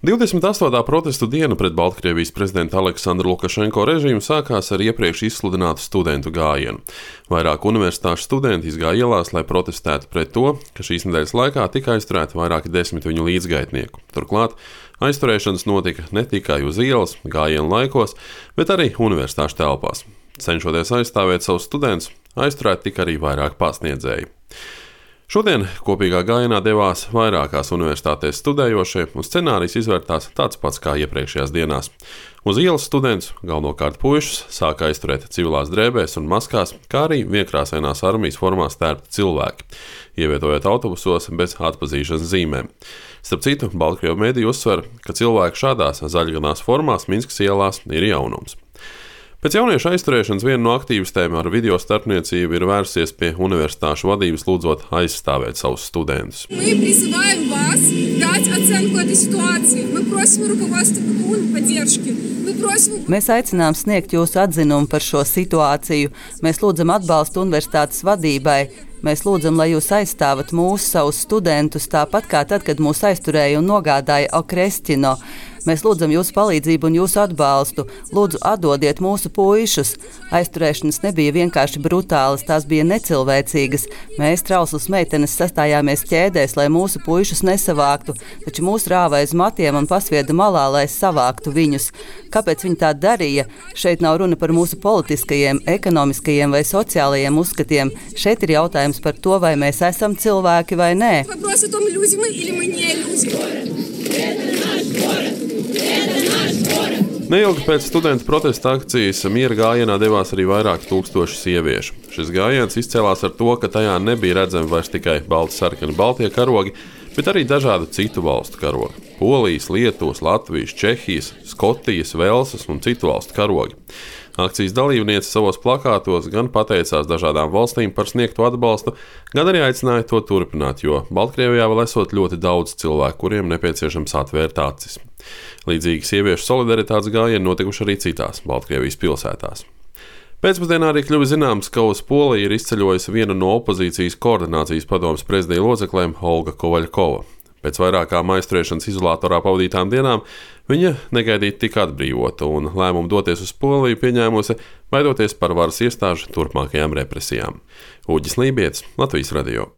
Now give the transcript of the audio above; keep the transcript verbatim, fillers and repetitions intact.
divdesmit astotā protestu diena pret Baltkrievijas prezidenta Aleksandra Lukašenko režīmu sākās ar iepriekš izsludinātu studentu gājienu. Vairāk universitāšu studenti izgāja ielās, lai protestētu pret to, ka šīs nedēļas laikā tika aizturēti vairāki desmit viņu līdzgaitnieku. Turklāt aizturēšanas notika ne tikai uz ielas, gājienu laikos, bet arī universitāšu telpās. Cenšoties aizstāvēt savus studentus, aizturēti tika arī vairāk pasniedzēji. Šodien kopīgā gājienā devās vairākās universitātēs studējošie, un scenārijs izvērtās tāds pats kā iepriekšējās dienās. Uz ielas studentus, galvenokārt puišus, sāka aizturēt civilās drēbēs un maskās, kā arī vienkrāsainās armijas formā stērpti cilvēki, ievietojot autobusos bez atpazīšanas zīmēm. Starp citu, Baltkrievu mediji uzsver, ka cilvēki šādās zaļganās formās Minskas ielās ir jaunums. Pēc jauniešu aizturēšanas viena no aktīvistēm ar video starpniecību ir vērsies pie universitāšu vadības, lūdzot aizstāvēt savus studentus. Mēs aicinām sniegt jūsu atzinumu par šo situāciju. Mēs lūdzam atbalstu universitātes vadībai. Mēs lūdzam, lai jūs aizstāvat mūsu savus studentus, tāpat kā tad, kad mūs aizturēja un nogādāja Okrestino. Mēs lūdzam jūsu palīdzību un jūsu atbalstu. Lūdzu, atdodiet mūsu puišus. Aizturēšanas nebija vienkārši brutālas, tās bija necilvēcīgas. Mēs, trauslas meitenes, sastājāmies ķēdēs, lai mūsu puišus nesavāktu, taču mūs rāva aiz matiem un pasvieda malā, lai savāktu viņus. Kāpēc viņi tā darīja? Šeit nav runa par mūsu politiskajiem, ekonomiskajiem vai sociālajiem uzskatiem. Šeit ir jautājums par to, vai mēs esam cilvēki vai nē. Neilgi pēc studentu protesta akcijas miera gājienā devās arī vairāki tūkstoši sieviešu. Šis gājiens izcēlās ar to, ka tajā nebija redzami vairs tikai balti sarkani baltie karogi, bet arī dažādu citu valstu karogi – Polijas, Lietuvas, Latvijas, Čehijas, Skotijas, Velsas un citu valstu karogi. Akcijas dalībniece savos plakātos gan pateicās dažādām valstīm par sniegto atbalstu, gan arī aicināja to turpināt, jo Baltkrievijā vēl esot ļoti daudz cilvēku, kuriem nepieciešams atvērt acis. Līdzīgi sieviešu solidaritātes gājieni notikuši arī citās Baltkrievijas pilsētās. Pēcpusdienā arī kļuva zināms, ka uz Poliju ir izceļojusi viena no opozīcijas koordinācijas padomes prezidija locekļiem Olga Kovaļkova. Pēc vairākām aizturēšanas izolatorā pavadītām dienām viņa negaidīti tika atbrīvota un lēmumu doties uz Poliju pieņēmusi, baidoties par varas iestāžu turpmākajām represijām. Uģis Lībietis, Latvijas radio.